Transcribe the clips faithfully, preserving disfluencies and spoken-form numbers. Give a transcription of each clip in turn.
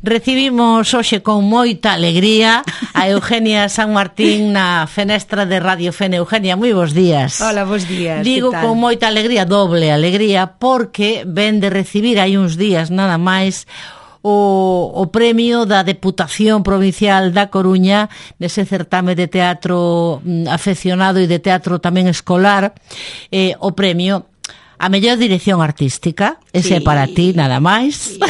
Recibimos hoxe con moita alegría a Eugenia San Martín na fenestra de Radio Fene. Eugenia, moi bons días. Hola, bons días. Digo con moita alegría, doble alegría, porque ven de recibir hai uns días nada máis o, o premio da Deputación Provincial da Coruña nese certame de teatro afeccionado e de teatro tamén escolar, eh, o premio a mellor dirección artística, ese sí. É para ti, nada máis, sí.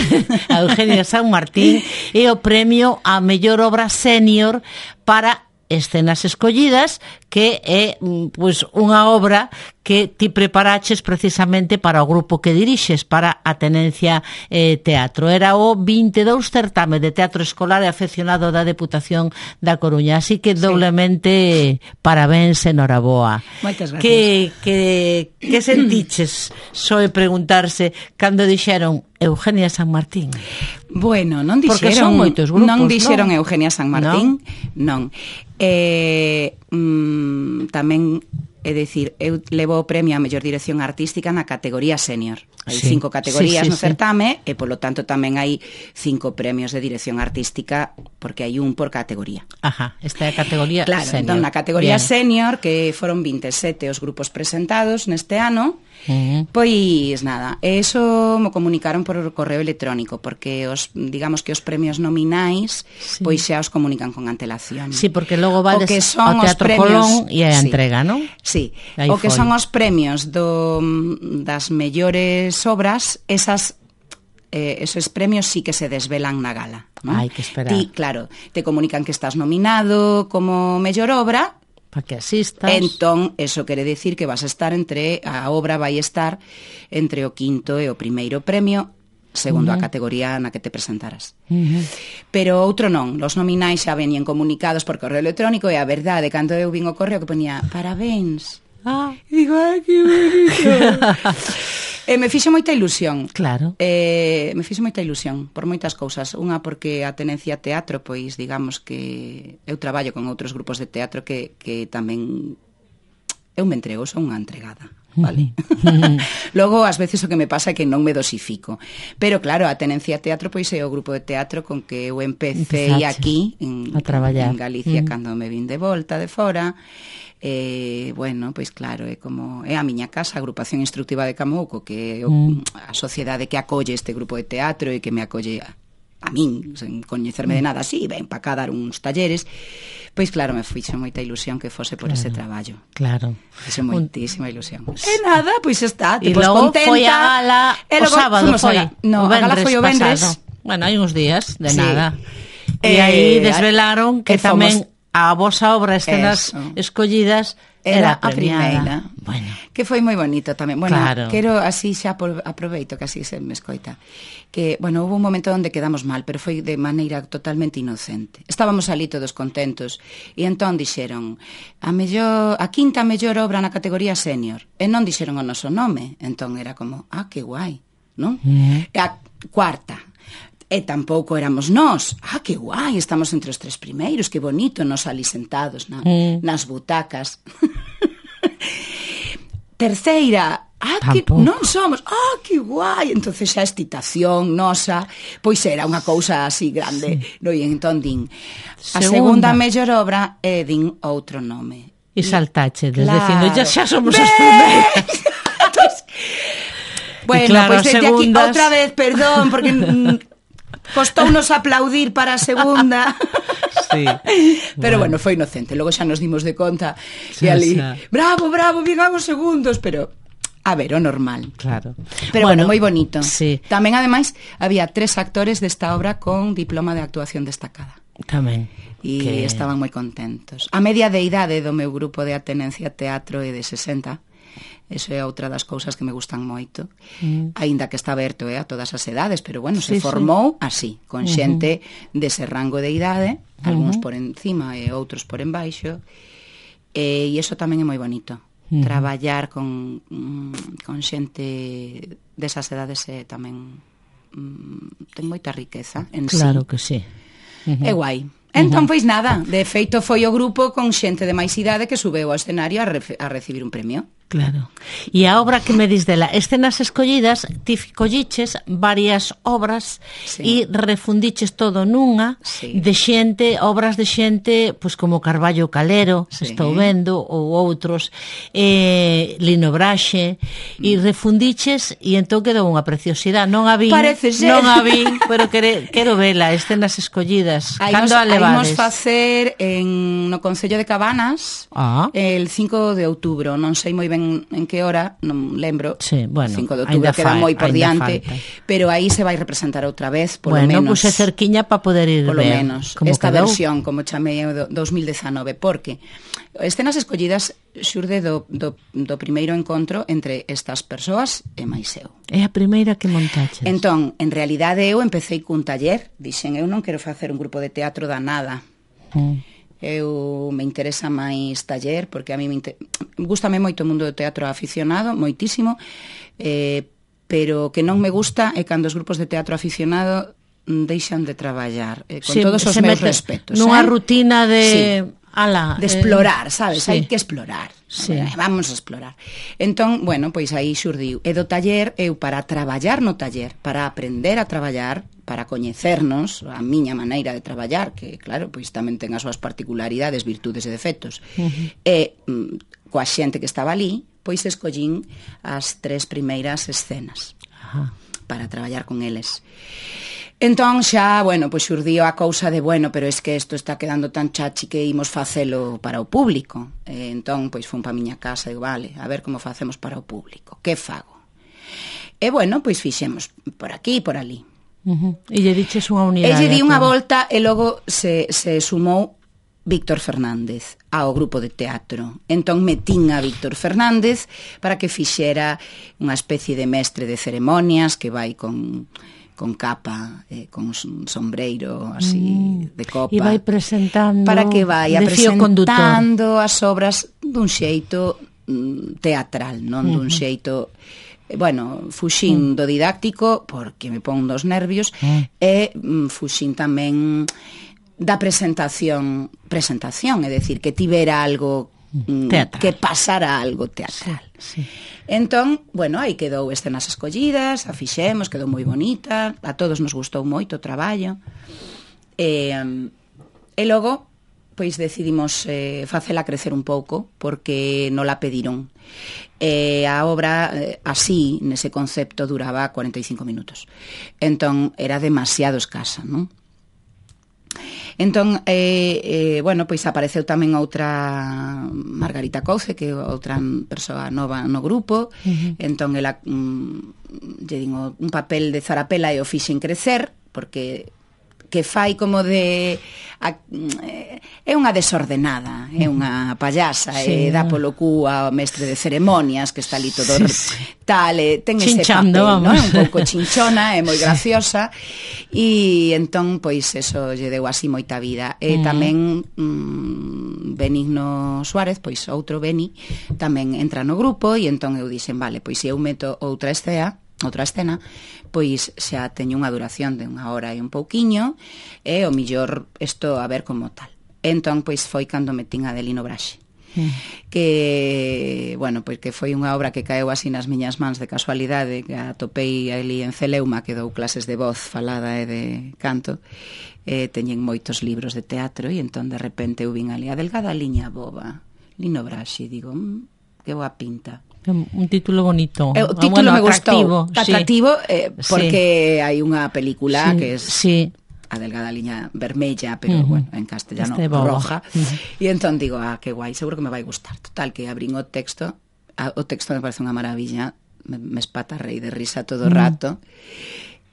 A Eugenia San Martín, e o premio a mellor obra sénior para escenas escollidas, que é pois unha obra que ti preparaches precisamente para o grupo que dirixes, para a Tenencia eh, Teatro. Era o vinte e dous certame de teatro escolar e afeccionado da Deputación da Coruña, así que doblemente sí. Parabéns, enhoraboa. Moitas gracias. Que, que, que sentiches, soe preguntarse, cando dixeron Eugenia San Martín? Bueno, non dixeron, porque son moitos grupos, non dixeron non? Eugenia San Martín, non. non. Eh, mm, tamén é dicir, eu levo o premio a mellor dirección artística na categoría senior. Hai sí. cinco categorías sí, sí, no certame sí. E polo tanto tamén hai cinco premios de dirección artística, porque hai un por categoría. Ajá, esta é a categoría claro, senior. Entón, na categoría Bien. senior, que foron vinte e sete os grupos presentados neste ano, uh-huh. pois nada, eso mo comunicaron por correo electrónico, porque os, digamos que os premios nominais sí. pois xa os comunican con antelación. Sí, porque logo vades ao Teatro Colón e a sí. entrega, non? Sí, aí o que foi. son os premios do, das mellores obras, esas eh, esos premios sí que se desvelan na gala, non? Hai que esperar. Ti, claro, te comunican que estás nominado como mellor obra, para que asistas. Entón, eso quere decir que vas a estar entre, a obra vai estar entre o quinto e o primeiro premio, segundo uh-huh. a categoría na que te presentaras. Uh-huh. Pero outro non, os nominais xa venían comunicados por correo electrónico, e a verdade, cando eu vin o correo que ponía parabéns, ah. e digo, ai, que bonito. E me fixo moita ilusión. Claro. Eh, me fixo moita ilusión por moitas cousas. Unha porque a Tenencia Teatro, pois digamos que eu traballo con outros grupos de teatro que, que tamén eu me entrego, son unha entregada. Vale. Logo, ás veces o que me pasa é que non me dosifico. Pero claro, a Tenencia Teatro pois é o grupo de teatro con que eu empecé aquí en, a traballar en Galicia, mm. cando me vin de volta de fora. Eh, bueno, pois claro, é como é a miña casa, a Agrupación Instructiva de Camouco, que é o, mm. a sociedade que acolle este grupo de teatro e que me acolle a, a min, sen coñecerme de nada así, ven para cá dar uns talleres. Pois claro, me fixo moita ilusión que fose por claro, ese traballo. Claro. Fixo moitísima ilusión. E nada, pois está, e pues, logo contenta. Foi a gala o sábado, foi. A, no, a gala foi o vendres. Bueno, hai uns días, de sí. nada. E eh, aí desvelaron que tamén fomos... a vosa obra Escenas Eso. Escollidas era, era a primeira. Bueno. Que foi moi bonito tamén. Bueno, claro. quero así xa por, aproveito que así se me escoita. Que, bueno, hubo un momento onde quedamos mal, pero foi de maneira totalmente inocente. Estábamos ali todos contentos e entón dixeron a mellor, a quinta mellor obra na categoría senior. E non dixeron o noso nome. Entón era como, ah, que guai, non? Mm. E a cuarta. E tampouco éramos nós. Ah, que guai, estamos entre os tres primeiros, que bonito, nos ali sentados na, mm. nas butacas. Terceira, ah, que non somos. Ah, que guai. Entonces xa excitación nosa, pois era unha cousa así grande. Sí. No, e entón din, a segunda, segunda mellor obra é din outro nome. E saltache, claro. Dicindo, ya xa somos ¡Ven! As primeiras. Bueno, claro, pois desde segundas... aquí outra vez, perdón, porque costounos aplaudir para a segunda. Sí. Pero bueno. bueno, foi inocente. Logo xa nos dimos de conta e ali, xa. bravo, bravo, vigamos segundos, pero a ver, o normal. Claro. Pero bueno, bueno moi bonito. Sí. Tamén, ademais, había tres actores desta obra con diploma de actuación destacada. Tamén. E que... estaban moi contentos. A media de idade do meu grupo de Atenencia Teatro é de sesenta. Eso é outra das cousas que me gustan moito. Mm. Aínda que está aberto eh, a todas as edades, pero bueno, sí, se formou sí. así, con xente uh-huh. dese rango de idade, algúns uh-huh. por encima e outros por embaixo. E, e iso tamén é moi bonito. Uh-huh. Traballar con, con xente desas edades é tamén mm, ten moita riqueza en claro sí. que sí. Uh-huh. É guai. Entón, pois nada, de feito foi o grupo con xente de máis idade que subeu ao escenario a, re- a recibir un premio. Claro. E a obra que me dis dela, escenas escollidas, ti colliches varias obras e sí. refundiches todo nunha sí. de xente, obras de xente, pois como Carballo Calero, sí. estou vendo, ou outros, eh, Lino Braxe, mm. e refundiches e entón quedou unha preciosidade. Non a vi, Parece ser. non a vi, pero quere, quero vela, escenas escollidas. Cando a levades? Imos facer en, no Concello de Cabanas ah. el cinco de outubro, non sei moi ben en que hora, non lembro, sí, bueno, cinco de outubro queda moi por diante, falta. Pero aí se vai representar outra vez, polo bueno, menos. Bueno, puse cerquiña para poder ir polo ver. menos, esta quedou? Versión, como chamei do dos mil dezanove, porque escenas escollidas xurde do, do, do primeiro encontro entre estas persoas e máis eu. É a primeira que montaches. Entón, en realidade eu empecé cun taller, dixen, eu non quero facer un grupo de teatro da nada. Mm. Eu me interesa máis taller, porque a mí me inter... gústame moito o mundo do teatro aficionado, moitísimo, eh, pero que non me gusta é cando os grupos de teatro aficionado deixan de traballar, eh, con sí, todos os meus respetos. Nunha eh? rutina de... Sí. Ala, de explorar, eh, sabes? Sí. Hai que explorar. Sí. Vamos a explorar. Entón, bueno, pois aí xurdiu. E do taller, eu para traballar no taller, para aprender a traballar, para coñecernos, a miña maneira de traballar, que claro, pois tamén ten as súas particularidades, virtudes e defectos, uh-huh. e mm, coa xente que estaba ali, pois escollín as tres primeiras escenas uh-huh. para traballar con eles. Entón xa, bueno, pois xurdiu a cousa de, bueno, pero es que isto está quedando tan chachi que imos facelo para o público. E entón, pois fun pa miña casa e digo, vale, a ver como facemos para o público, que fago? E bueno, pois fixemos por aquí e por ali. Uh-huh. E lle diches unha unidade. E lle di unha volta e logo se, se sumou Víctor Fernández ao grupo de teatro. Entón metín a Víctor Fernández para que fixera unha especie de mestre de ceremonias que vai con... con capa, eh, con un sombreiro así mm. de copa. E vai presentando para que vai presentando as obras dun xeito mm, teatral, non uh-huh. dun xeito, eh, bueno, fuxín uh-huh. do didáctico porque me pon dos nervios uh-huh. e mm, fuxín tamén da presentación, presentación, é dicir, que tivera algo mm, que pasara algo teatral. Sí, sí. Entón, bueno, aí quedou escenas escollidas, a fixemos, quedou moi bonita, a todos nos gustou moito o traballo. E, e logo, pois decidimos eh, facela crecer un pouco, porque non la pediron. E a obra, eh, así, nese concepto, duraba cuarenta e cinco minutos. Entón, era demasiado escasa, non? Entón, eh, eh, bueno, pois apareceu tamén outra Margarita Couce, que é outra persoa nova no grupo, uh-huh. entón ela mm, lle din un papel de zarapela e o fixen crecer, porque que fai como de a, é unha desordenada, é unha payasa, sí, e dá polo cu ao mestre de ceremonias que está ali todo sí, sí. tal, e ten ese papel, ¿no? Un pouco chinchona, é moi graciosa, e entón pois eso lle deu así moita vida. E mm. tamén mm, Benigno Suárez, pois outro Beni, tamén entra no grupo, e entón eu dixen, vale, pois se eu meto outra escena, outra escena, pois xa teño unha duración de unha hora e un pouquiño, e o millor isto a ver como tal. Entón, pois foi cando metín a de Lino Braxe. Mm. Que, bueno, pois que foi unha obra que caeu así nas miñas mans de casualidade, que atopei ali en Celeuma, que dou clases de voz falada e de canto, e teñen moitos libros de teatro, e entón de repente eu vin ali a delgada liña boba, Lino Braxe, e digo, mmm, que boa pinta. Un título bonito. O título bueno, me gustou. Sí. Atractivo, eh, porque sí. hai unha película sí. que es sí. a delgada liña vermella, pero uh-huh. bueno, en castellano este roja. Uh-huh. E entón digo, ah, que guai, seguro que me vai gustar. Total, que abrín o texto, a, o texto me parece unha maravilla, me, me espatarrei de risa todo o uh-huh. rato.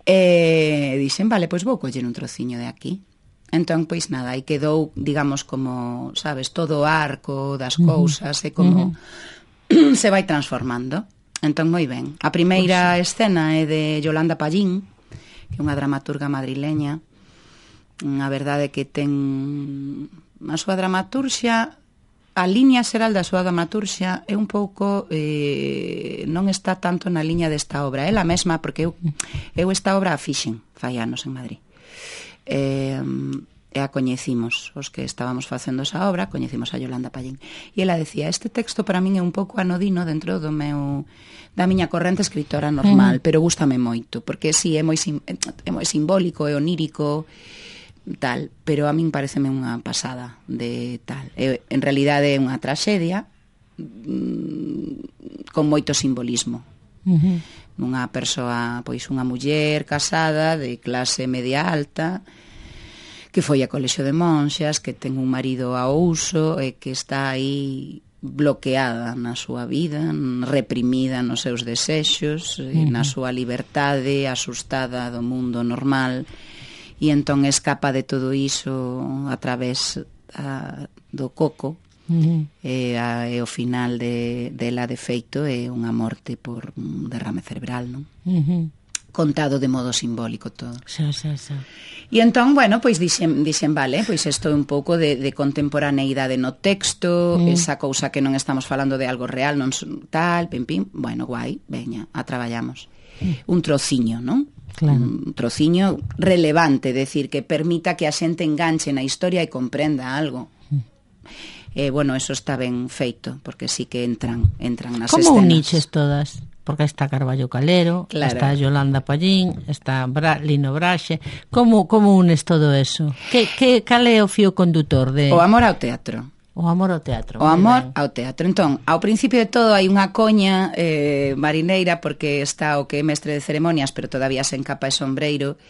E dixen, vale, pois vou coller un trociño de aquí. Entón, pois nada, aí quedou, digamos, como, sabes, todo o arco das uh-huh. cousas, e como... Uh-huh. se vai transformando. Entón, moi ben. A primeira pues, escena é de Yolanda Pallín, que é unha dramaturga madrileña. A verdade é que ten a súa dramaturxia, a liña xeral da súa dramaturxia é un pouco eh, non está tanto na liña desta obra. Ela mesma, porque eu, eu esta obra a fixen fai anos en Madrid. Eh, e a coñecimos, os que estábamos facendo esa obra, coñecimos a Yolanda Pallín. E ela decía, este texto para min é un pouco anodino dentro do meu da miña corrente escritora normal, mm. pero gústame moito, porque si sí, é moi sim, é moi simbólico, é onírico, tal, pero a min pareceme unha pasada de tal. É, en realidade é unha traxedia mmm, con moito simbolismo. Uh-huh. Unha persoa, pois unha muller casada de clase media alta, que foi a colexio de monxas, que ten un marido ao uso e que está aí bloqueada na súa vida, reprimida nos seus desexos, uh-huh. na súa liberdade, asustada do mundo normal, e entón escapa de todo iso a través a, do coco, uh-huh. e, a, e o final de, dela de feito é unha morte por un derrame cerebral, non? Uh-huh. Contado de modo simbólico todo. Xa, xa, xa. E entón, bueno, pois dixen, dixen vale, pois isto é un pouco de, de contemporaneidade no texto, mm. esa cousa que non estamos falando de algo real, non tal, pim, pim, bueno, guai, veña, a traballamos. Mm. Un trociño, non? Claro. Un trociño relevante, decir, que permita que a xente enganche na historia e comprenda algo. Mm. Eh, bueno, eso está ben feito, porque sí que entran, entran nas Como escenas. Como uniches todas? Porque está Carballo Calero, claro. está Yolanda Pallín, está Bra Lino Braxe. Como, como unes todo eso? Que, que, cal é o fío condutor de... O amor ao teatro. O amor ao teatro. O amor ao teatro. Entón, ao principio de todo hai unha coña eh, marineira, porque está o que é mestre de ceremonias, pero todavía sen capa e sombreiro,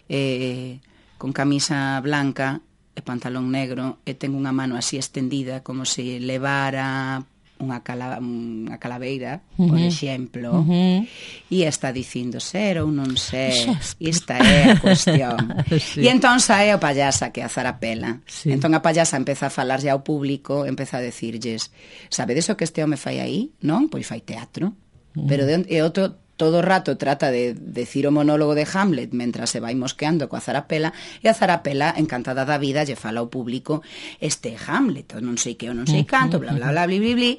eh, con camisa blanca e pantalón negro, e ten unha mano así estendida, como se levara unha, cala, unha calaveira, uh-huh. por exemplo, uh-huh. e está dicindo ser ou non ser, e esta é a cuestión. Sí. E entón sae o payasa, que é a Zarapela. Sí. Entón a payasa empeza a falarlle ao público, empeza a decirlles, sabedes o que este home fai aí? Non? Pois fai teatro. Uh-huh. Pero de, e outro todo o rato trata de decir o monólogo de Hamlet mentras se vai mosqueando coa Zarapela, e a Zarapela, encantada da vida, lle fala ao público este Hamlet, non sei que, non sei canto, bla, bla, bla, bla, bla, bla,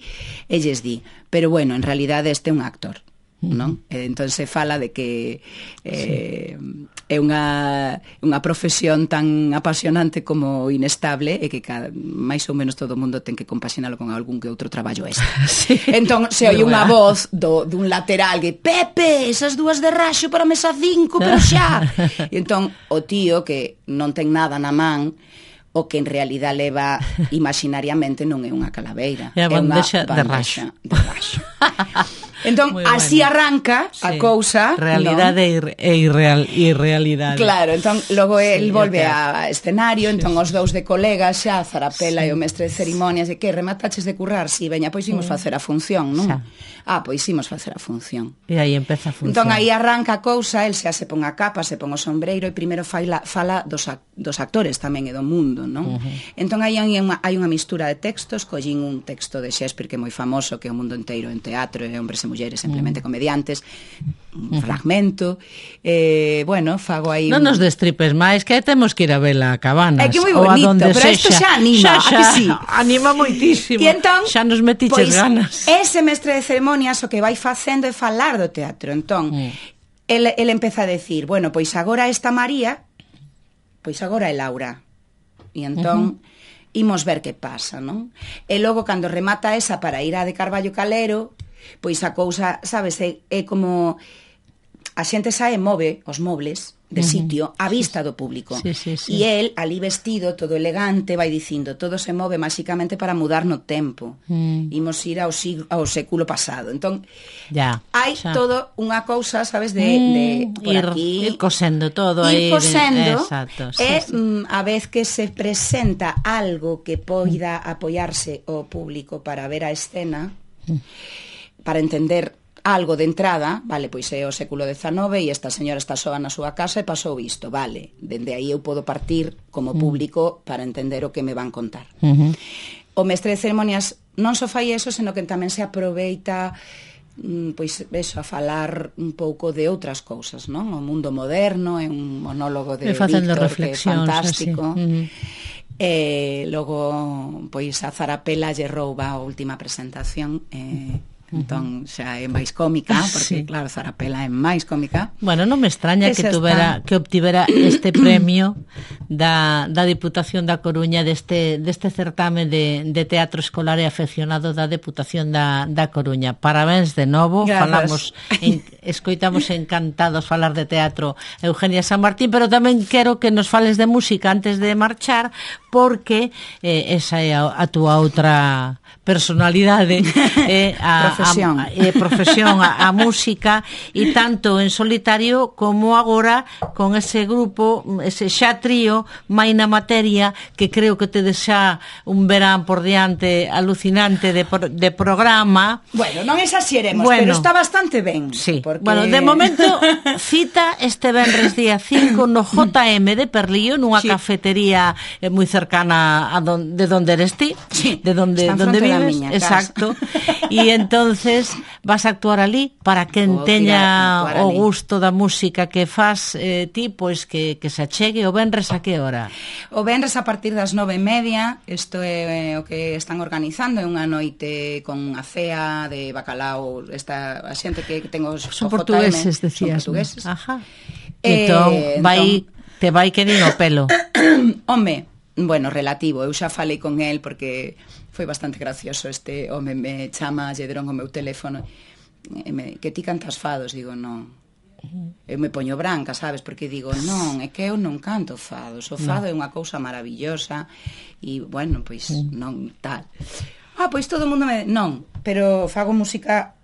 e lles di, pero bueno, en realidade este é un actor, non? E entón se fala de que eh, sí. é unha, unha profesión tan apasionante como inestable, e que cada, máis ou menos todo o mundo ten que compaxinalo con algún que outro traballo extra. Sí. Entón se oi unha voz do, dun lateral que Pepe, esas dúas de raxo para mesa cinco, pero xa. E entón o tío, que non ten nada na man, o que en realidad leva imaginariamente non é unha calaveira, é, é unha bandexa de raxo. De raxo. Entón, bueno. Así arranca sí. a cousa, realidade non? E irreal, irrealidade. Claro, entón, logo sí, el volve a escenario, sí, entón sí. Os dous de colegas xa, Zarapela sí. E o mestre de ceremonias, e que remataches de currar, si, sí, veña, pois imos sí. facer a función, non? Xa. Ah, pois imos facer a función. E aí empeza a función. Entón, aí arranca a cousa, el xa se pon a capa, se pon o sombreiro, e primeiro fala, fala dos, dos actores tamén e do mundo, non? Uh-huh. Entón, aí hai unha, hai unha mistura de textos, collín un texto de Shakespeare que é moi famoso, que é o mundo inteiro en teatro, e hombres e mulleres simplemente uh-huh. comediantes, un uh-huh. fragmento, eh, bueno, fago aí... Non un... nos destripes máis, que temos que ir a ver a Cabanas. É que moi bonito, pero isto xa anima, xa, xa, a que sí? Anima moitísimo. E entón, xa nos metiches pois, ganas. Ese mestre de ceremonias o que vai facendo é falar do teatro. Entón, uh-huh. el, el empeza a decir, bueno, pois agora esta María, pois agora é Laura. E entón... Uh-huh. Imos ver que pasa, non? E logo, cando remata esa para ir a de Carballo Calero, pois a cousa, sabes, é, é como a xente sae e move os mobles de sitio á vista do público. Sí, sí, sí. E el, ali vestido, todo elegante, vai dicindo, todo se move máxicamente para mudar no tempo. Mm. Imos ir ao, sig- ao século pasado. Entón, ya, hai xa. Todo unha cousa, sabes, de, mm, de por ir, aquí... Ir cosendo todo. Ir cosendo, exacto, e sí, sí. Mm, a vez que se presenta algo que poida apoiarse o público para ver a escena, mm. para entender... algo de entrada, vale, pois é o século dezanove e esta señora está soa na súa casa e pasou isto, vale, dende aí eu podo partir como público para entender o que me van contar. Uh-huh. O mestre de ceremonias non só fai eso, senón que tamén se aproveita pois eso, a falar un pouco de outras cousas, non? O mundo moderno, é un monólogo de Víctor que é fantástico. Uh-huh. E logo, pois a Zarapela lle rouba a última presentación e... Entón xa é máis cómica, porque sí. Claro, Zarapela é máis cómica. Bueno, non me extraña que, que tuvera, que obtivera este premio da, da Diputación da Coruña deste, deste certame de, de teatro escolar e afeccionado da Deputación da, da Coruña. Parabéns de novo. Gracias. Falamos, en, escoitamos encantados falar de teatro Eugenia San Martín, pero tamén quero que nos fales de música antes de marchar, porque eh, esa é a, a túa outra personalidade, eh, a, profesión, a, eh, profesión a, a música, e tanto en solitario como agora con ese grupo, ese xa trío Maina Materia, que creo que tedes xa un verán por diante alucinante de, de programa. Bueno, non exaxeremos, bueno, pero está bastante ben. Sí. Porque... Bueno, de momento cita este venres día cinco no J M de Perlío, nunha sí. cafetería eh, moi cercana a don, de donde eres ti, sí. de donde, donde vives. Exacto. E entonces vas a actuar ali para quen oh, teña o gusto da música que faz eh, ti, pois que, que se achegue. O venres a que hora? O venres a partir das nove e media. Isto é o que están organizando, é unha noite con a cea de bacalao. Esta a xente que ten os son portugueses, decías. Son portugueses. Ajá. Eh, entón, vai, entón... te vai que nin o pelo. Home, bueno, relativo. Eu xa falei con el porque foi bastante gracioso. Este home me chama, lle deron o meu teléfono e me, que ti cantas fados? Digo, non. Eu me poño branca, sabes? Porque digo, non, é que eu non canto fados. O fado no. é unha cousa maravillosa e, bueno, pois non tal. Ah, pois todo o mundo me... Non, pero fago música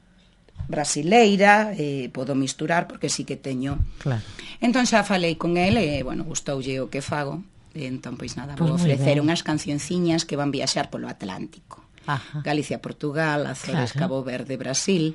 brasileira, eh, podo misturar porque sí que teño. Claro. Entón xa falei con el e, bueno, gustoulle o que fago. Entón, pois nada, vou pues ofrecer unhas cancionciñas que van viaxar polo Atlántico. Ajá. Galicia, Portugal, Azores, claro. Cabo Verde, Brasil,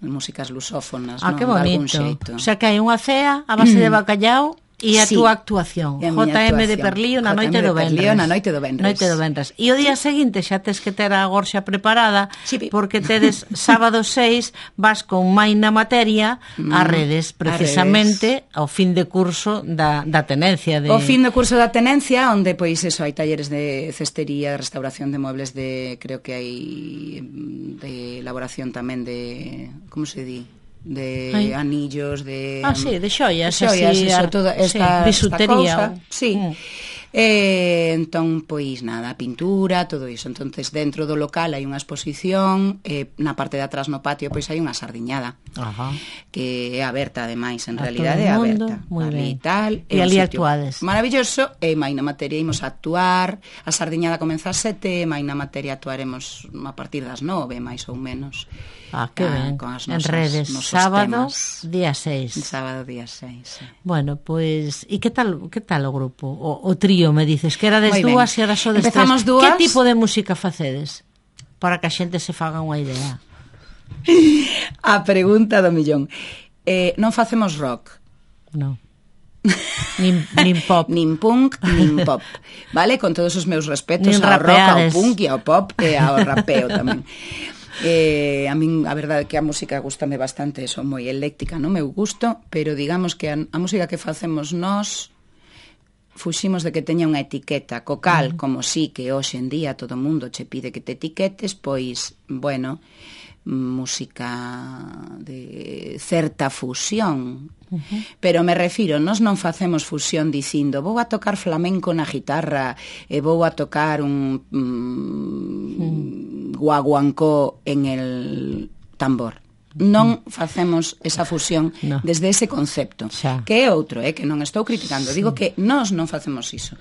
músicas lusófonas, ah, non? Que bonito. O sea, que hai unha cea a base de bacallao e a sí. túa actuación. J M de Perlío na noite do venres. Na noite do venres. Noite do venres. E o día seguinte xa tes que ter a gorxa preparada, sí. porque tedes sábado seis vas con Maina Materia mm, a redes, precisamente redes. Ao fin de curso da, da tenencia. De... O fin de curso da tenencia, onde pois eso, hai talleres de cestería, de restauración de muebles, de creo que hai de elaboración tamén de, como se di? de Ay. anillos, de... Ah, sí, de xoias, xoias, así, eso, toda esta, sí, bisutería. Esta sí. Mm. Eh, entón, pois nada, pintura, todo iso. Entonces, dentro do local hai unha exposición, eh, na parte de atrás no patio pois hai unha sardiñada. Ajá. Que é aberta, ademais, en a realidade é aberta. Moi ben. E tal, e ali actuades. Maravilloso, e Maina Materia imos a actuar, a sardiñada comeza a sete, Maina Materia actuaremos a partir das nove, máis ou menos. Ah, que ben, con as nosas, en redes, sábado, temas. Día seis. Sábado, día seis, sí. Bueno, pois, pues, e que tal, que tal o grupo? O, o trío, me dices, que era des dúas e ahora só des Empezamos tres. Dúas. Que tipo de música facedes? Para que a xente se faga unha idea. A pregunta do millón. Eh, non facemos rock. Non. nin, nin pop. Nin punk, nin pop. Vale? Con todos os meus respetos nin ao rapeades. Rock, ao punk e ao pop e ao rapeo tamén. Eh, a min a verdade é que a música gustame bastante, son moi eléctrica no meu gusto, pero digamos que a, a música que facemos nós fuximos de que teña unha etiqueta, co cal, uh-huh. como si que hoxe en día todo o mundo che pide que te etiquetes, pois, bueno, música de certa fusión. Uh-huh. Pero me refiro, nós non facemos fusión dicindo vou a tocar flamenco na guitarra e vou a tocar un mm, uh-huh. guaguancó en el tambor. Non facemos esa fusión no. desde ese concepto, xa. Que é outro, eh, que non estou criticando, sí. Digo que nós non facemos iso.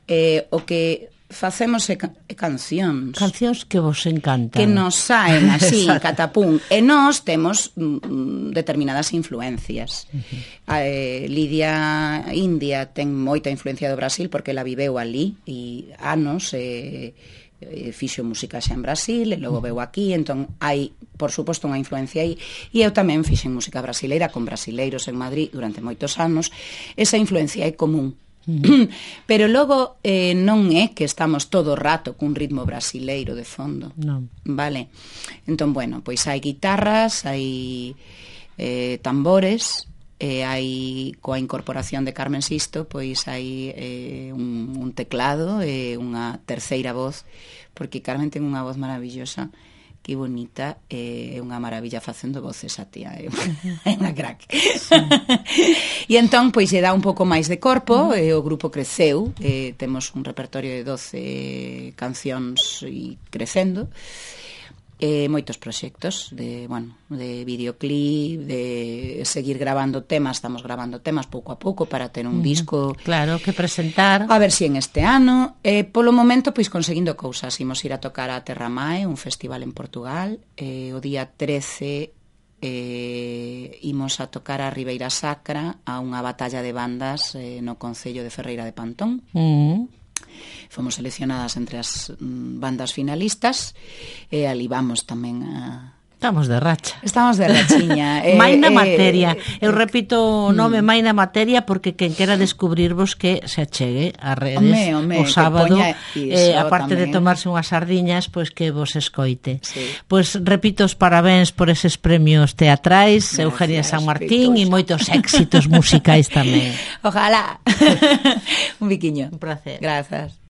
Eh, o que facemos é, ca- é cancións. Cancións que vos encantan. Que nos saen así, catapún. E nós temos mm, determinadas influencias. Uh-huh. Eh, Lidia India ten moita influencia do Brasil porque la viveu ali e anos e... Eh, fixo música xa en Brasil e logo veu aquí, entón hai por suposto unha influencia aí, e eu tamén fixen música brasileira con brasileiros en Madrid durante moitos anos. Esa influencia é común. Uh-huh. Pero logo eh, non é que estamos todo o rato cun ritmo brasileiro de fondo, non. Vale? Entón, bueno, pois hai guitarras, hai eh, tambores, e hai coa incorporación de Carmen Sisto, pois hai eh, un, un teclado e unha terceira voz, porque Carmen ten unha voz maravillosa que bonita, é eh, unha maravilla facendo voces a tía, é unha crack. E entón, pois, lle dá un pouco máis de corpo, e o grupo creceu, e temos un repertorio de doce cancións e crecendo, e moitos proxectos de, bueno, de videoclip, de seguir grabando temas, estamos grabando temas pouco a pouco para ter un disco, claro, que presentar. A ver si en este ano, e polo momento pois conseguindo cousas, imos ir a tocar a Terra Mae, un festival en Portugal, e o día trece eh, imos a tocar a Ribeira Sacra, a unha batalla de bandas eh, no concello de Ferreira de Pantón. Mm. Fomos seleccionadas entre as mm, bandas finalistas, e ali vamos tamén a... Estamos de racha. Estamos de rachiña. eh, Maina eh, Materia. Eu eh, repito o nome mm. Maina Materia porque quen quera descubrirvos que se achegue a redes ome, ome, o sábado, eh, aparte tamén de tomarse unhas sardiñas, pois que vos escoite. Sí. Pois repito os parabéns por eses premios teatrais, gracias, Eugenia San Martín, e moitos éxitos musicais tamén. Ojalá. Un biquiño. Un placer. Grazas.